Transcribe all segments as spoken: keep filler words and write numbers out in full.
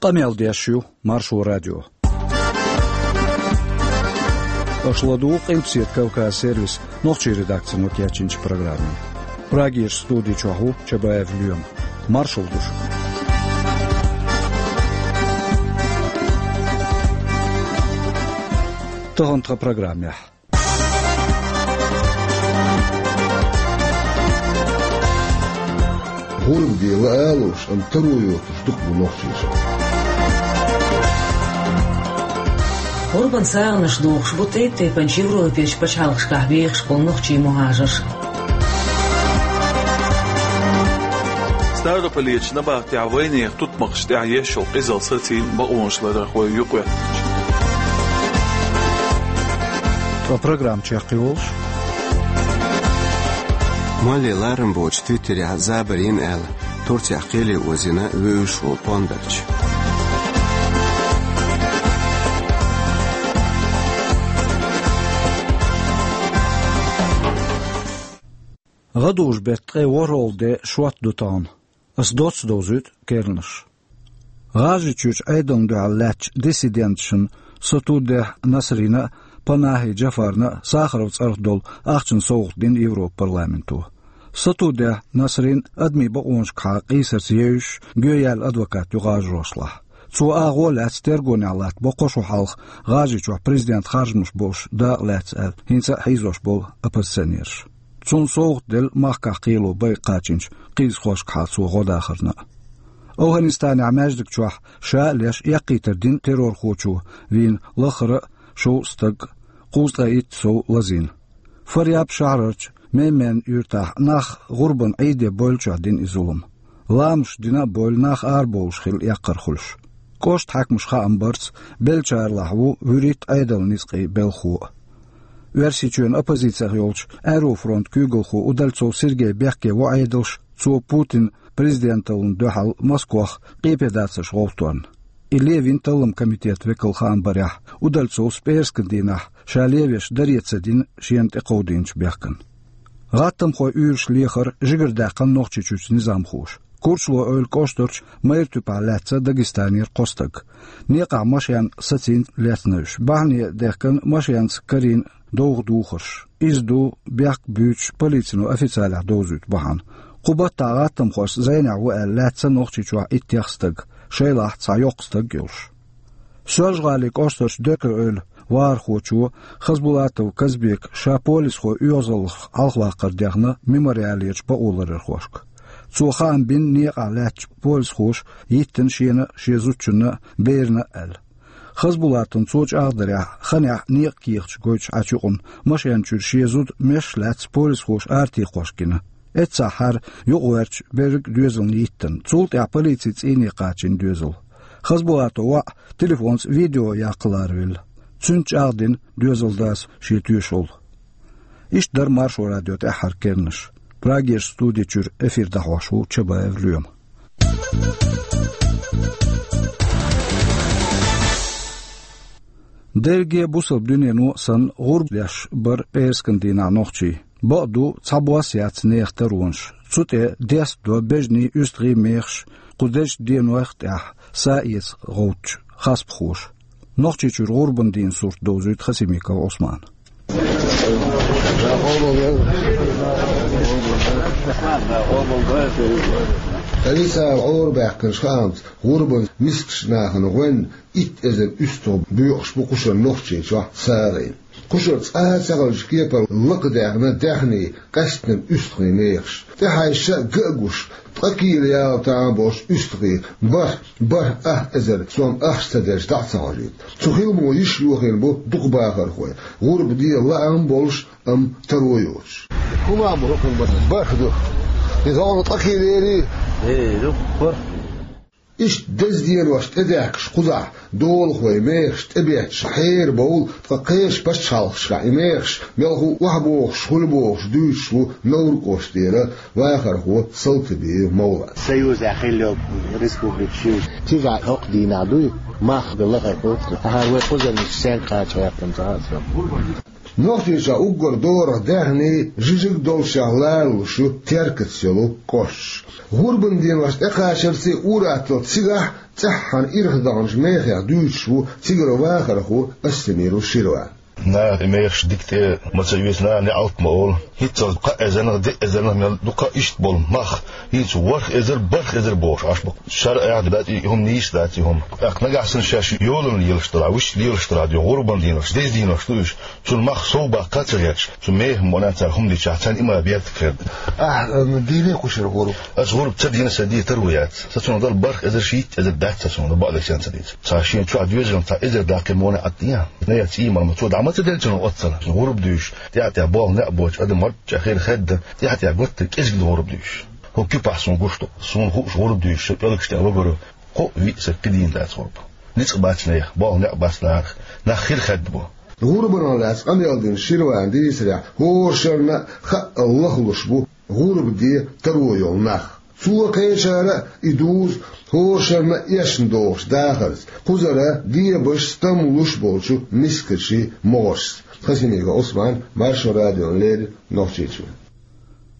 Къамел деш ю Маршо радио. Аша ладугӀу Къилбаседа Кавказ сервисан нохчийн редакцино кечйинчу программе. Прагерчу студи чохь ву Чабаев Лоьма. Маршалла ду шуьга. Тахана тхан программехь. ГӀурба де лаа а луш, амма таро йоцуш дукха бу нохчаша. ГӀурбан сагӀанаш дохуш бу тӀе-, тайп-тайпанчу Европерчу пачхьалкхашкахь бехаш болу нохчийн мухӀажарш. Ставрополерчу набахтехь вайнехан тутмакхашна тӀехь еш йолу къизалла сацийна бакъонаш ларарх вай юкъахӀоьттинчу. Ткъа программа чекхйолуш. Молле ларам боцуш Твиттерехь забар йина аьлла, Турцехь кхеле озийна вевзаш волу пондарча. ГӀадужу беттан ткъе ворхӀалгӀа де шот ду тахана. Ас доцца довзуьйту керланаш. ГӀажарийчуьрчу Ӏедална дуьхьал лаьттачу диссиденташна Сатудехь Насрина а, Панахи Джафарна а Сахаров цӀарах долу ахчанан совгӀат дина Европан парламенто. Сатудехь Насрин адамийн бакъонашкахьа къийсарца евзаш, гӀоьяьлла адвокат ю гӀажарошлахь. Цо агӀо а лаьцна тергонехь латтабо кхо шо хьалха ГӀажарийчохь президентан харжамаш болуш дакъа лаьцна аьлла, хӀинца а хьийзош болу оппозиционераш. Цунна совгӀат делла махкахь кхело байа кхачийначу кхийзахошкахьа цо гӀо дахарна а. АфгӀанистанехь маьждиг чохь ша а леш эккхийтар дина террорхочо вийна лаххара а шовзткъа стаг, кхузткъе итт сов лазийна. Фарьяб шахьарарчу Мейман юьртахь нах гӀурбан Ӏийде бевллачохь дина и зулам. Ламазаш дина а бевлла, нах арабовлуш хилла эккхар хуьлуш. КӀоштан хьаькамаша хаам барца, беллачарлахь ву вуьрхӀитта Ӏедалан ницкъийн белхахо а. Оьрсийчоьнан оппозицех йолчу Аэрофронтан куьйгалхо Удальцов Сергей бехке во Ӏедалш, цо Путинан президенталлина дуьхьал Москвах къепедацарш гӀовттарна. И левина талламан комитетан векала хаам барехь, Удальцовс пӀераскан дийнахь ша левеш даре ца дина шена тӀекховдийначу бехкана. ГӀаттамхойн уьйраш лехара жигардаьккхина Нохчийчуьрчу низамхоша. Курчалой-Эвла кӀоштарчу Майра-Туьпехь лаьцна Дагестанера кхо стаг. Некъахь машен сацийна лецна уьш. Бахьане дехкина машенца карийна довха духарш. Иза ду бехк буьйцуш полицино официалехь довзуьйту бахьана. Кху баттахь гӀаттамхошца зӀенехь ву аьлла лаьцна Нохчийчохь иттех стаг, шайлахь цхьа йоккха стаг а йолуш. Соьлжа-ГӀалин кӀоштарчу Декъий-Эвла вахархочо Хасбулатов Казбека ша полисхойн оьгӀазаллех хьалхаваккхар дехна Мемориалерчу бакъоларъярхошка. Цо хаам бина некъахь лаьттачу полисхоша йиттина шена а, шен зудчунна а, берана а аьлла. Хасбулатовна цо чӀагӀдарехь, ханехь некъан кехаташ гойтуш Ӏачу юкъана машен чуьра шен зуда мешаш лаьцна полисхоша аратийкхош гина. Эццахь хӀара юкъагӀерташ берриг а доьзална йиттина. Цул тӀаьхьа полицин цӀийне кхачийна доьзал. Хасбулатовн воӀ телефонца видео яккха ларавелла. Цуьнца чӀагӀдина доьзалдас шен тоьшалла. Иштта дара Маршо радион тӀаьххьара керланаш. Прагерчу студи чуьра эфир дӀахьош ву Чабаев Лоьма. Дерриге бусалба дуьнено а санна, гӀурба деш бара пӀераскан дийнахь нохчий. Бакъду, цхьабосса яц нехан таронаш. Цу тӀе дестадо бежанийн, уьстагӀийн мехаш, кху дезачу денойх а тӀехь са эца гӀовттачу хасбахоша. Нохчийчуьра гӀурбан дийнан сурт довзуьйту Хасимиков Ӏусмана. Алисал гӀора баьккхинчу хаамца, гӀурбан мискачу нахана гӀоьнна итт эзар уьстагӀ боькъуш бу кхушара Нохчийчохь сагӀина. Кхушара цкъа а ца хилча кепара лакхадаьхна даьхний, къаьсттина уьстагӀийн мехаш. ТӀехьаьжча а, ган а гуш, ткъа кийла яла тахана болчу уьстагӀийн бархӀ, бархӀ ах эзар сом ахча ца дерш дӀа а ца хьожуьйту. Цу хиламо йиш йохийна бу дукха бахархой. ГӀурба де лаам болуш, амма таро йоцуш. ХӀума бу хӀокхуьнан бархӀ ду. Иза хьуна ткъа кийла ярий? Э, ду, бархӀ. Иштта деза денош тӀедаьхкаш кхузахь долахой мехаш тӀебетташ хьерабовла, ткъа кхечу пачхьалкхашкахь и мехаш мелхо а охьабохуш, хуьлу бохуш дуьйцуш ву Невран кӀоштара вахархо Салтыбиев Мовлад. Союзехь хилла йолу республикаш ю. Цигахь хӀокху дийнахь дуй, мах бен лахара кхочуш, ахьа вай кхузарнаш сенга кхача гӀертам ца хаьа. Нохчийчохь уггар дорах даьхний жижиг доллушехь лалуш ю Теркаца йолу кӀошташ. ГӀурбан деношна тӀекхачарций ур-атталла цигахь цӀеххьана ирх даханчу мехех дуьйцуш ву цигара вахархо Астемиров Ширван. Наха и мехаш дика тӀе ма ца оьцу, наха неӀалт ма олу. ХӀинццалц кхаа эзарнах, диъ эзарнах мел дукха иштта болу мах, хӀинца ворхӀ эзар, бархӀ эзар бохуш Ӏаш бу. Шаръехь дац и хӀума, нийса дац и хӀума. ТӀаккха нагахь санна шаьш йолалла лелаш дара, вуьшта лелаш дара, хӀурбан денош, деза денош ду уьш. Цунна мах сов баккха а ца гӀерташ, цу мехах мукъана цара хӀума дичахь, царна и ма бертиг хир ду. Ахьа, м, дийне кхушара гӀурба? Аса гӀурба ца дина, сан ден таро яц. Сан цунах дара бархӀ эзар, шийтта эзар дац сан цунах, бакъдерг санна ца дийца. Цхьа шена чохь доьзална цхьа эзар даккхий мукъана Ӏад ян. Нагахь цӀий мара ма цо дӀа ма ца делла цунах оццана. ГӀурба дуьйш, тӀаьхьа-тӀаьхьа болх-некъ боцуш адам марчча хир хадда, тӀаьхьа-тӀаьхьа готта кӀезиг ду гӀурба дуьйш. ХӀокху куьпахь суна гуш ду, суна хууш гӀурба дуьйш, сан пӀелгаш тӀехь вагара, кхоъ-виъ саг кхидийна дац гӀурба. Ницкъ бац нехан, болх-некъ бац нахах, нах хир хадда бу. ГӀурбанах лаьцна къамел дина Ширван дийцарехь, хӀора шарна а хаъал лахлуш бу гӀурба де таро йолу нах. Цо кхечара а и дузу хӀора шарна а эшна догӀуш дахарца, кхузара дебаш, стам луш болчу мискачийн могӀаршца. Хасимиков Ӏусман, Маршо радиона леррина, Нохчийчоь.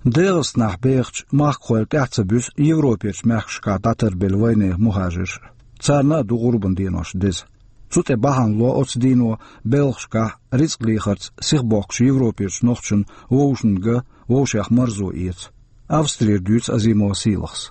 ДегӀастанахь бехачу махкахойн тӀаьхьа ца буьсу Европерчу мехкашкахь дӀатарбелла вайнехан мухӀажарш. Царна а ду гӀурбан денош деза. Цу тӀе бахьана ло оцу дийно белхашкахь рицкъ лехарца сихбохкучу Европерчу нохчашна вовшашна ган, вовшех марзо эца. Австрера дуьйцу Азимова Сийлахьас.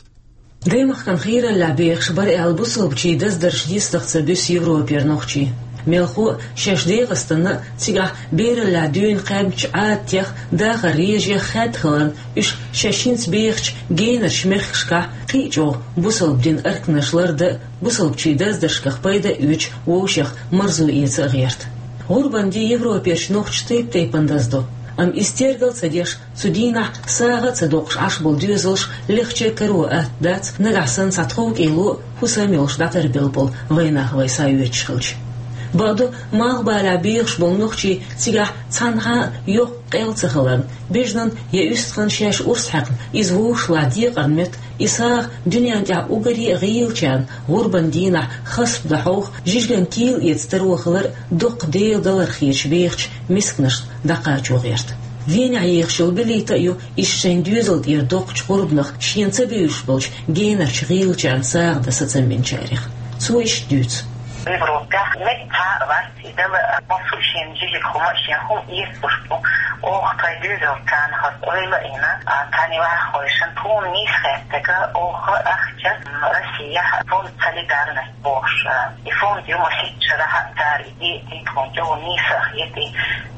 Даймахкана хийраллехь бехаш бара аьлла, бусалбачийн даздаршна йистах ца буьсу Европера нохчий. Мелхо а шаьш ДегӀастанна а, цигахь бераллехь дуьйна кхаьбначу Ӏадатех, дахаран режех хаьдда хиларна, уьш шаьш хӀинца бехачу генарчу мехкашкахь кхин а чӀогӀа бусалба дин арканаш лардан а, бусалбачийн даздаршках пайда а оьцуш, вовшех марзо эца а гӀерта. ГӀурбан де Европерчу нохчаша тайп-тайпана даздо. Амма иза тергал а ца деш, цу дийнахь сагӀа а ца доккхуш Ӏаш болу доьзалш легӀча каро атта дац, нагахь санна цхьа тховкӀело а, хӀусам а йолуш дӀатарбелла болу вайнах вай схьаоьцуш хилча. Бакъду, малхбалехь бехаш болу нохчий цигахь цхьанхьа а йоккха къел ца хиларна, бежанан я уьстагӀан шаьш урс хьаькхна, иза вовшашлахь декъарна метта, и сагӀа дуьненна тӀехь уггаре а гӀийлачарна гӀурбан дийнахь хасп дан хьовха, жижиган кийла эца таро хилар а доккха Делан галар хеташ бехачу мисканашна дӀакхачо гӀерта. Венехь ехаш йолу Белита а ю иштта шайн доьзал тӀера доккхачу гӀурбанах, шена ца бевзаш болчу генарчу гӀийлачарна сагӀа дан сацам бинчарех. Цо иштта дуьйцу. Европехь меттахь а вац и дала, а, массо а шена жижиг хӀума а, шена хӀума эцалуш бу. Оха тхайн доьзалца царна хаза ойла а йина, а, тхайн ваххойшна тхуна нийса хеттарг, оха ахча, м, Россехь фонд «Солидарность» бохуш, а, и фонд ю, масийтта шарахь а цара и де а дина, тхуна чӀогӀа нийса а хета и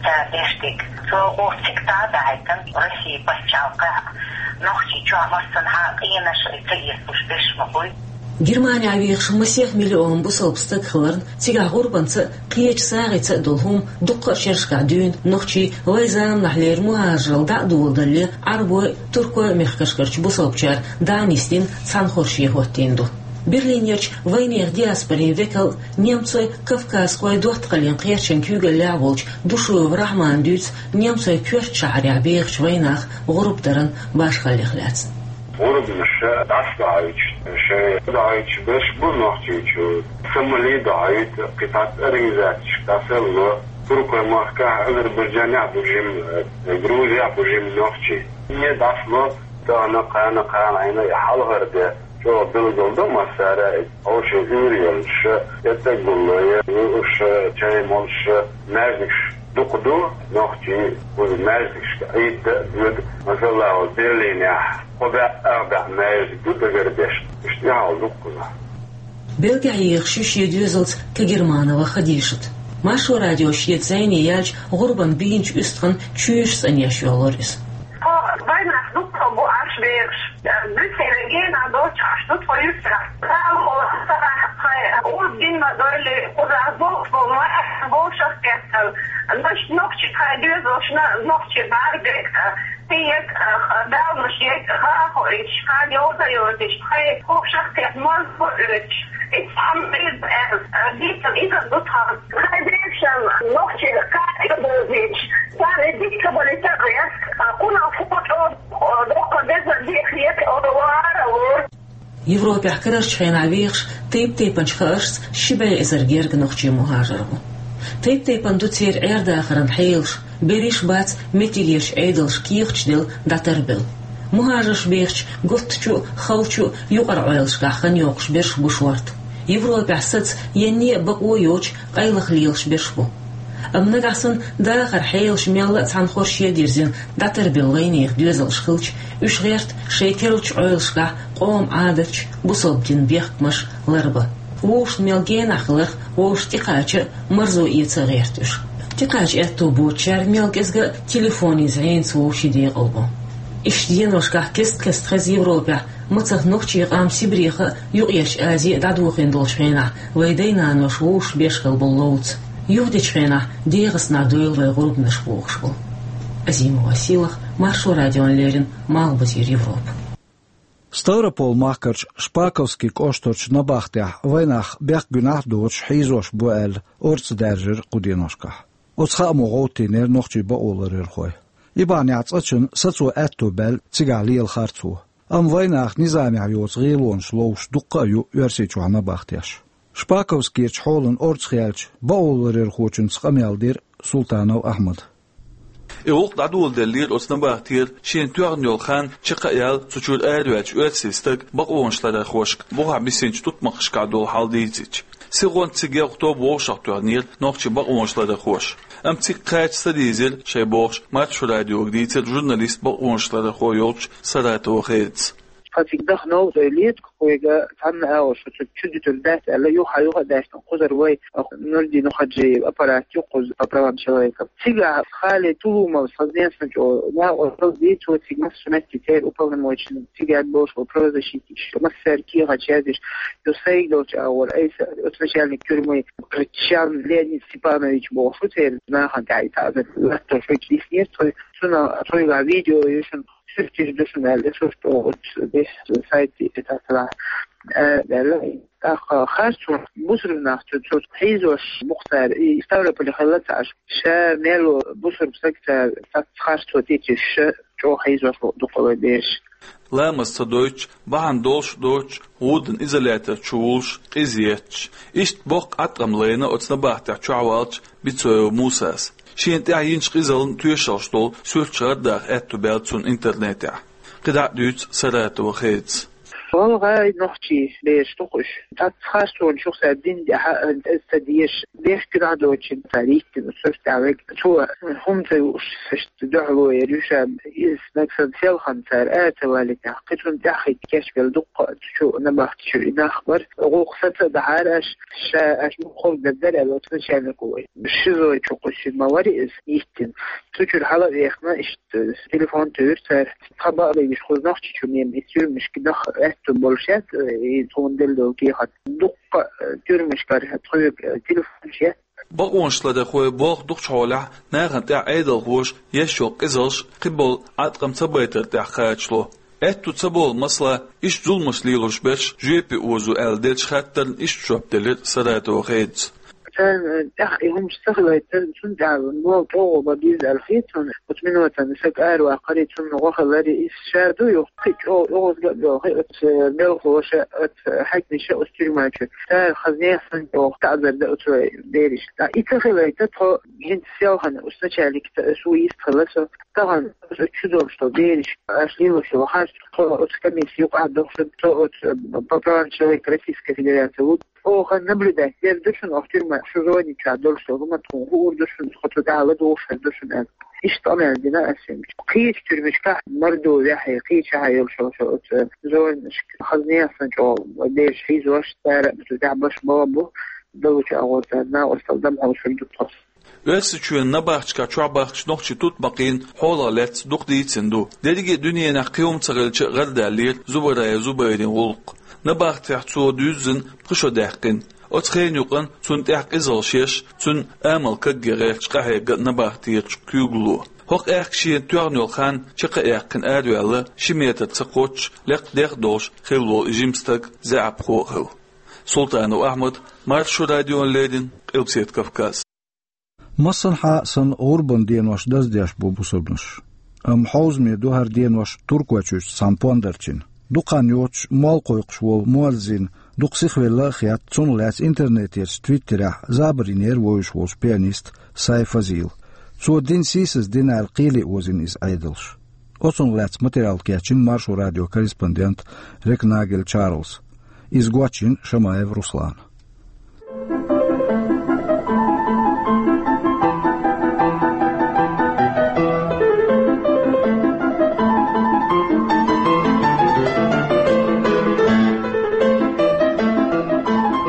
цара деш дерг. Цо оха цига дӀа а дахьийтина, Россин пачхьалкхехь а, Нохчийчохь а массанхьа а къинаш а ца эцалуш берш ма буй. Германехь вехаш масех миллион бусалба стаг хиларна, цигахь гӀурбанца а, кхечу сагӀица а долу хӀума дуккха а шерашкахь дуьйна нохчий вайн заманахьлера мухӀажаралла дӀа а доладалале, Ӏарбойн а, туркойн а мехкашкарчу бусалбачара дӀа а нисдина, цхьаьна хорше хӀоттийна ду. Берлинерчу вайнехан диаспорин векал а, немцойн, кавказхойн доттагӀаллин кхерчан куьйгаллехь а волчу Душуев Рахьмана дуьйцу немцойн коьртачу шахьарехь бехачу вайнаха гӀурба даран башхаллех лаьцна. ГӀурбанаш дӀасадохьуьйтуш, шайн дохьуьйтуш берш бу Нохчийчу. Сомали дохьуьйту, кхин цхьацца организацешка дӀасалло. Туркойн махкахь, Азербайджанехь бу жимма, Грузехь бу жимма нохчий. Е дӀасало, тахана, кхана, кхана Ӏийна я хьалхара де. ЧӀогӀа билгалдо массара а, хьошалгӀа уьйр йолуш, я тӀе гулло, я лууш, чай молуш, маьждигаш дукха ду, нохчий кхуза маьждигашка Ӏийда а доьду, масала, Берлинехь кхо бӀе, ах бӀе маьждиг ду дагардеш, иштта тӀаьхьа дукха ду. Бельгехь ехаш ю шен доьзалца Кагерманова Хадишат. Маршо радио шеца зӀене яьлча, гӀурбан бийначу уьстагӀан чоьжаш цӀанъеш йоллура иза. Тхо вайнах дуккха бу Ӏаш бехаш. Буьйсанна гена доцуш Ӏаш ду тхо юьртахь. Цхьа а ма-, цхьа а тхайн гӀурба дина ма-дарра, кхузахь болх бу, ма-, болх шахкхетта. Нах, нохчий тхайн доьзалшна, нохчий бӀаьргега, кхин яга, далнаш яга, хаа хоуьйтуш, кхана йовза йойтуш, тхайн хӀокху шахкхетта моза хӀу оьцуш. И цхьа ма-, дийцина иза ду тхан. Тхайн дешан нохчий кхаьчча а бовзийтуш, царна дика бали ца гӀерта, кхунах фу чӀогӀа доккха беза дехьа хета олу вара лур. Европехь карарчу хенахь вехаш тайп-тайпанчу хааршца ши бӀе эзар герга нохчий мухӀажар ву. Тайп-тайпана ду церан Ӏер-дахаран хьелаш, берриш бац меттигерчу Ӏедалша кехаташ делла дӀатарбелла. Мухьажарш бехачу гуттачу а, халчу а юкъара-Ӏойлашкахь хан йоккхуш берш бу шорта. Европехь саца енне а бакъо а йоцуш къайлаха лелаш берш бу. Амма нагахь санна дахаран хьелаш мелла а цхьана хорша дирзина дӀатарбелла вайнехан доьзалш хилча, уьш гӀерта шайн керлачу Ӏойлашкахь къоман Ӏадаташ, бусалба динан бехкамаш ларбан. Вовшашна мел генахь хиларх вовшашна тӀекхача а, марзо эца а гӀерта уьш. ТӀекхача аьтто боцучара мел кӀезга а телефонан зӀенца вовшийн декъал бу. Иштта деношкахь кест-кеста хеза Европехь, мацах нохчийн къам Сибреха а, Юккъерчу Азе а дӀадохийна долчу хенахь, вайн дай-нанош вовшашна беш хилла болу ловца. Юхадечу хенахь ДегӀастанахь дойла вайн гӀурбанаш бохуш бу. Азимова Сийлаха, Маршо радиона леррина, Малхбузера Европа. Ставрополь-махкарчу Шпаковский кӀоштарчу набахтехь вайнах бехк-гуьнахь а доцуш хьийзош бу аьлла, орца даьржира кху деношкахь. Оцу хаамо гӀовттийнера нохчийн бакъоларъярхой. И бахьанехь цкъачунна сацо аьтто баьлла цигахь лела харцо. Амма вайнах низамехь йоцу гӀелонаш ловш дуккха а ю Оьрсийчохь набахтеш. Шпаковскерчу хьолан орца хилча, бакъоларъярхочуьнца къамел дира Султанов Ахьмада. И гӀуллакх дӀадоладеллера оцу набахтера шена тоьхна йолу хан чекхъяьлла, цу чуьра араваьллачу оьрсийн стага бакъонашларъярхошка бухахь бисинчу тутмакхашкахь долу хьал дийцича. Сихонца цига егӀа тоба вовшахтоьхнера нохчийн бакъонашларъярхоша. Амма цига кхача ца дийзира шайн бохуш, Маршо радиога дийцира журналист, бакъонашларъярхо йолчу Саратова Хедас. Тхан цига дахана новкъа летка кхойга цхьанна агӀо шу цу чу дитур дац аьлла, юха-юха а даьшна кхузара вай Нурдин Хаджиев аппарат ю кхуза по правам человека. Цигахь Хали Тулумов, сан знесна чӀо, накъо ди, цо цига массо метте церан уполномоченный, цига яд болуш ву правозащитник, массаьрга кехаташ яздеш, ю сайга долчу агӀор, айса оцу начальник тюрьмы Кричан Леонид Степанович бохуш ву церан нахана тӀаьхьа и таӀзар латто шуьйчу диснера, цо, цуьнан, цуьнгахь видео ю шуна, суьрташ ду шуна аьлла, сурт оцу деш сайт тӀе тасалахь. Э, аьлла, тӀаккха харцо бусург нах цу, цу хьийзош бу-кх цара, и Ставрополе хилла ца Ӏаш. Ша мел ву бусург стаг цара, цац харцо тӀе тесча, ша чӀогӀа хьийзош бу дукха вай бераш. Ламаз ца дойтуш, бахьана долуш а доцуш, гӀуданан изолятор чу вуллуш, къиза етташ. Иштта боккха Ӏаткъам лайна оцу набахтехь чохь ваьллачу Бицоев Мусас. Шена тӀехь йинчу къизаллин тоьшаллаш долу суьрташ гӀардаха аьтто баьлла цунна интернетехь. КхидӀа а дуьйцу Саратова Хедас. Валгай нохчий бераш ду-кх уьш. Цхьацца харцонаш ю-кх цара дина тӀехь а, аса ца дезаш, бехк-гуьнахь доцучун цара йиттина сурт тӀехь вега. Цо хӀума ца юуш, иштта дуьхьало яр ю ша, иза нагахь санна селхана цара ара ца валийтинехь, кхин цунна тӀаьхьахӀитта кечбелла дуккха а цу чу набахти чуьра и нах бара. ГӀуллакх саца а дахьара аша, ша аша муха ховрг дара аьлла, оцу начальнико вай. ШИЗО чу кхуьссина ма вара иза йиттина. Цу чуьра хьала а вехна, иштта телефон туьйхира цара. Тхан бакъдерг иштта кхуза Нохчийчу мема и тюрьмашка даха аьтто болуш яц, и тхуна делла долу кехат. Дуккха а тюрьмашкара тхоьга телефонаш яц. Бакъонашларъярхой болх дукхачу хьолехь нахана тӀехь Ӏедалхоша еш йолу къизаллаш, кхин болу Ӏаткъам ца байтар тӀехь кхачало. Аьтто ца болу, масала, иштта зуламаш лелош берш жоьпе озо аьлла деллачу хаттарна иштта жоп делира Саратова Хедас. Царна тӀехь и хӀумаш ца хилайта, цунна тӀехь болу чӀогӀа бан беза аьлла хета суна. Оцу минотана саг араваккхари, цунна гӀо хилари, иза ша ду юха, кхин чӀогӀа оьгӀазга а боху, оцу белхалоша, оцу хьаькамаша оцу тюрьма чу. Цара хазне а санна чӀогӀа таӀзар дан оцу берашка. И ца хилайта, тхо хӀинца селхана оцу начальникца аса ву йист хила со. Тахана оцу чу долуш долу берашка аша лелош йолу харц, тхо оцу комисси юкъахь дохуш, тхо оцу по правам человека Российской Федерации ву. Оха наблюдать дер ду шуна, оха тюрьма шу зони чохь долуш долу хӀума тхуна хуур ду шуна, тхо цу тӀехь ладугӀуш хир ду шуна аьлла. Иштта къамел дина аса. Кхечу тюрьмашкахь Мордовехь, кхечахьа йолуш йолу оцу зонашка хазне а санна чӀогӀа бераш хьийзош, цара а цу тӀехь баш бала бу, далучу агӀор цара накъосталла дам хьовсур ду тхо. Оьрсийчоьнан набахташкахь чохь бахча нохчийн тутмакхийн хьолах лаьцна дукха дийцина ду. Дерриге а дуьненахь кхин хӀума ца хилча а гӀардаьллера Зубараев Зубайрин гӀуллакх. Набахтехь цо дуьззина пхи шо даьккхина. Оцу хенан юкъанна цунна тӀехь къизаллаш еш, цуьнан амал кагге гӀерташ къахьегна набахтерчу куьйгалло. ХӀокху аьхка шена тоьхна йолу хан чекх а яьккхина араваьлла, ши метр ца кхоччуш, лекха дегӀ а долуш хилла волу и жима стаг заьӀапхо а хилла. Султанов Ахьмад, Маршо радиона леррина, Къилбаседа Кавказ. Массанхьа а санна гӀурбан денош даздеш бу бусурбанаш. Амма хьовзаме ду хӀара денош Туркойчуьрчу цхьана пондарчина. Дукха хан йоцуш молла кхойкхуш волу муаззин Дукха сихвелла а хетта, цунах лаьцна интернетерчу Твиттерехь забар йинера вевзаш волчу пианиста Сай Фазила. Цо дина сийсаз дина аьлла, кхеле озийна иза Ӏедалша. Оцунах лаьцна материал кечйина Маршо радион корреспондента Рекнагель Чарльза. Иза гочйина Шамаев Руслана.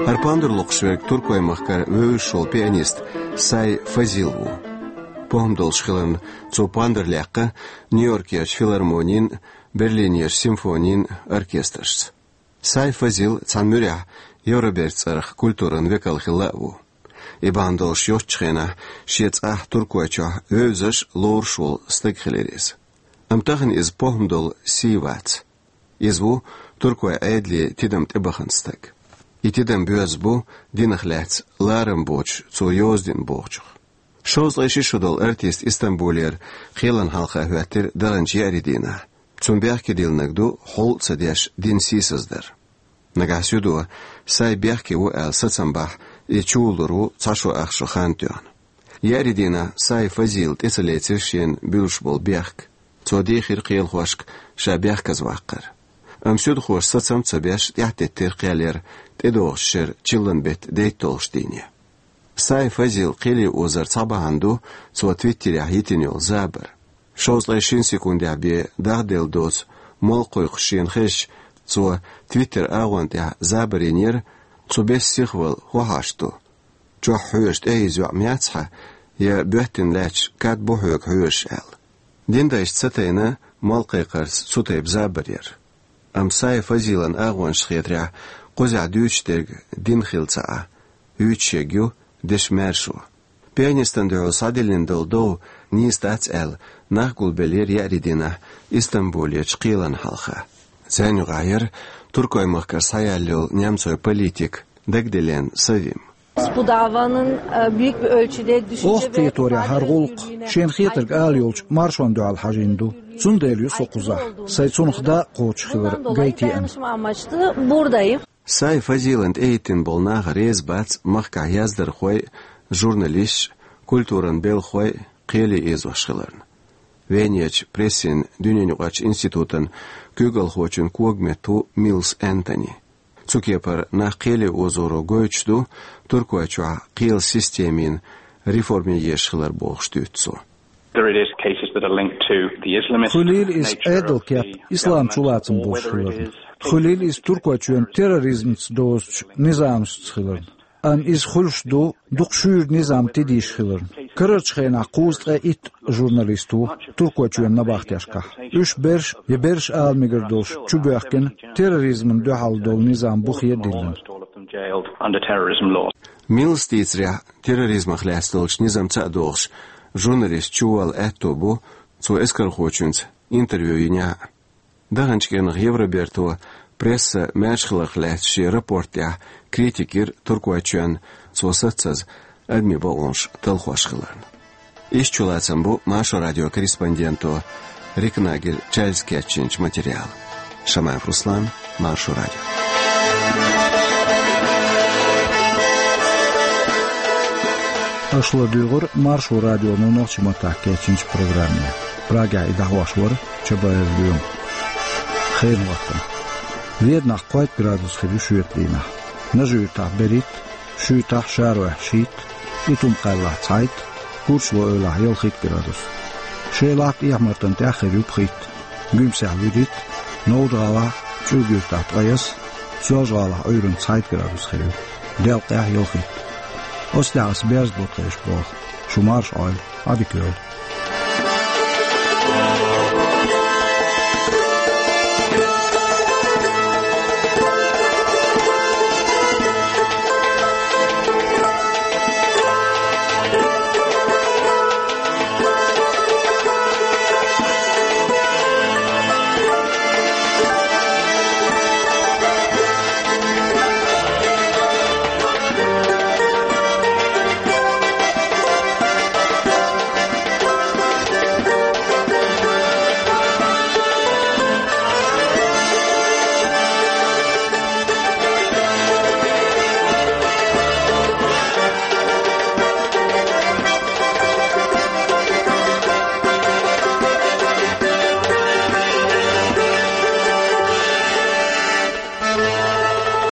ХӀара пандар локхуш верг Туркойн махкара вевзаш волу пианист Сай Фазил ву. ПохӀма долуш хиларна, цо пандар лаьцна Нью-Йоркерчу филармонин, Берлинерчу симфонин оркестрашца. Сай Фазил цхьана муьрехь Евроберта цӀарах культуран векал хилла а ву. И бахьана долуш йоццучу хенахь шен цӀахь Туркойчохь вевзаш, лоруш волу стаг хилира иза. Амма тахана иза похӀма долу сий вац. Иза ву туркойн Ӏедале тидам тӀебахана стаг. И тидам боьзна бу динах лаьцна ларам боцуш цо йоза дина бохучух. Шовзткъе ши шо долу артист Истамбулера кхелана хьалха хӀоьттира даханчу еарин дийнахь. Цунна бехке диллинарг ду хьал а ца деш дина сийсаздар. Нагахь зуда Сай бехке ву аьлла сацам бахь, и чувуллур ву цхьа шо ах шо хан тоьхна. Еарин дийнахь Сай Фазила тӀе ца лецира шена буьллуш болу бехк. Цо дийхира кхелахошка ша бехказа ваккхар. Амма суьдхоша сацам а ца беш, тӀаьхьатеттира кхел яра тӀедогӀучу шеран чиллан беттан дейтталгӀачу дийне. Сай Фазила кхеле озар цхьа бахьана ду цо Твиттерехь йитина йолу забар. Шовзткъе шина секундехь бен дахделла доцу молла кхойкхуш шена хезча, цо Твиттер агӀон тӀехь забар йинера: «Цу бесан сихвала хӀун хьашт ду? Чохь хьоьжуш тӀе иза йоӀ яц хьан, я боьттина лаьтташ кад бу хьоьга хьоьжуш?» аьлла. Динан дайша ца тайна молла кхайкхарца цу тайпа забар яра. Амма Сай Фазилан агӀонаш хетарехь, кхузахь дуьйцуш дерг дин хилла ца Ӏа, юьйцуш ерг ю дешан маьршо. Пианистана дуьхьал схьадиллина долу дов нийса дац аьлла, нах гулбеллера еарин дийнахь Истамбулерчу кхелана хьалха. Царна юкъахь яра Туркойн махкара схьаяьлла йолу немцойн политик Дагдилен Севим. Bu davanın, e, büyük bir ölçüde düşünce ve ifade özgürlüğüne... Оха кхеторехь хӀара гӀуллакх шена хетарг ала йолчу маршонна дуьхьал хьажийна ду. Цундела ю со кхузахь. Сай цунах дакъа кхочуш хилар гайтеана. Dolayı dayanışma amaçlı buradayım. Сай Фазилана тӀехӀиттина болу нах реза бац махкахь яздархой, журналисташ, культуран белхахой кхеле озош хиларна. Венерчу прессин дуьненаюкъарчу институтан куьйгалхочун когаметта ву Миллс Энтони. Цу кепара нах кхеле озоро гойтуш ду Туркойчохь кхелан системин реформе езаш хилар бохуш дуьйцу цо. There it is cases that are linked to the Islamist nature of the government, or whether it is... Хуьлийла иза Ӏедалан кеп, ислам чулацам болуш хиларна. Хуьлийла иза Туркойчоьнан терроризмца дозучу низамашца хиларна. Амма иза хуьлуш ду дукха шуьйра низам тидийша хиларна. Карарчу хенахь кхузткъе итт журналист ву Туркойчоьнан набахтешкахь. Уьш берш я берш ала мегар долуш чубоьхкина, терроризмана дуьхьал долу низам бухе а диллина. Миллса дийцарехь, терроризмах лаьцна долчу низамца а догӀуш, журналист чувалла аьтто бу цо эскархочуьнца интервью йинехь а. Даханчу кӀирнах Евроберто пресса маьрша хиларх лаьцна шен рапорт тӀехь критика йира Туркойчоьнна, цо саццаза адамийн бакъонаш талхош хиларна. Иштта чулацам бу Маршо радион корреспонденто Рикнагель Чарльза кечйинчу материалан. Шамаев Руслан, Маршо радио. Аша ладуьйгӀира Маршо радионо нохчийн маттахь кечйинчу программе. Прагехь и дӀахьош вара Чабаев Лоьма. Хенан хӀоттам. Веданахь кхойтта градус хир ю шоьтан дийнахь. Нажи-Юьртахь берхӀитта, Шуьйтахь, Шаройхь шийтта, Итум-Кхаьллахь цхьайтта, Курчалой-Эвлахь ялхитта градус. Шелахь, ТӀехьа-Мартан тӀехь хир ю пхийтта, Гуьмсехь вуьрхӀитта, Новжа-ГӀалахь, ЦӀуьрга-Юьртахь ткъаясса, Соьлжа-ГӀалахь Ӏуьйранна цхьайтта градус хир ю, делкъехь ялхитта. Оцу тӀехь ас берза бутт хезаш боху. Шу марша Ӏойла, Ӏадика йойла.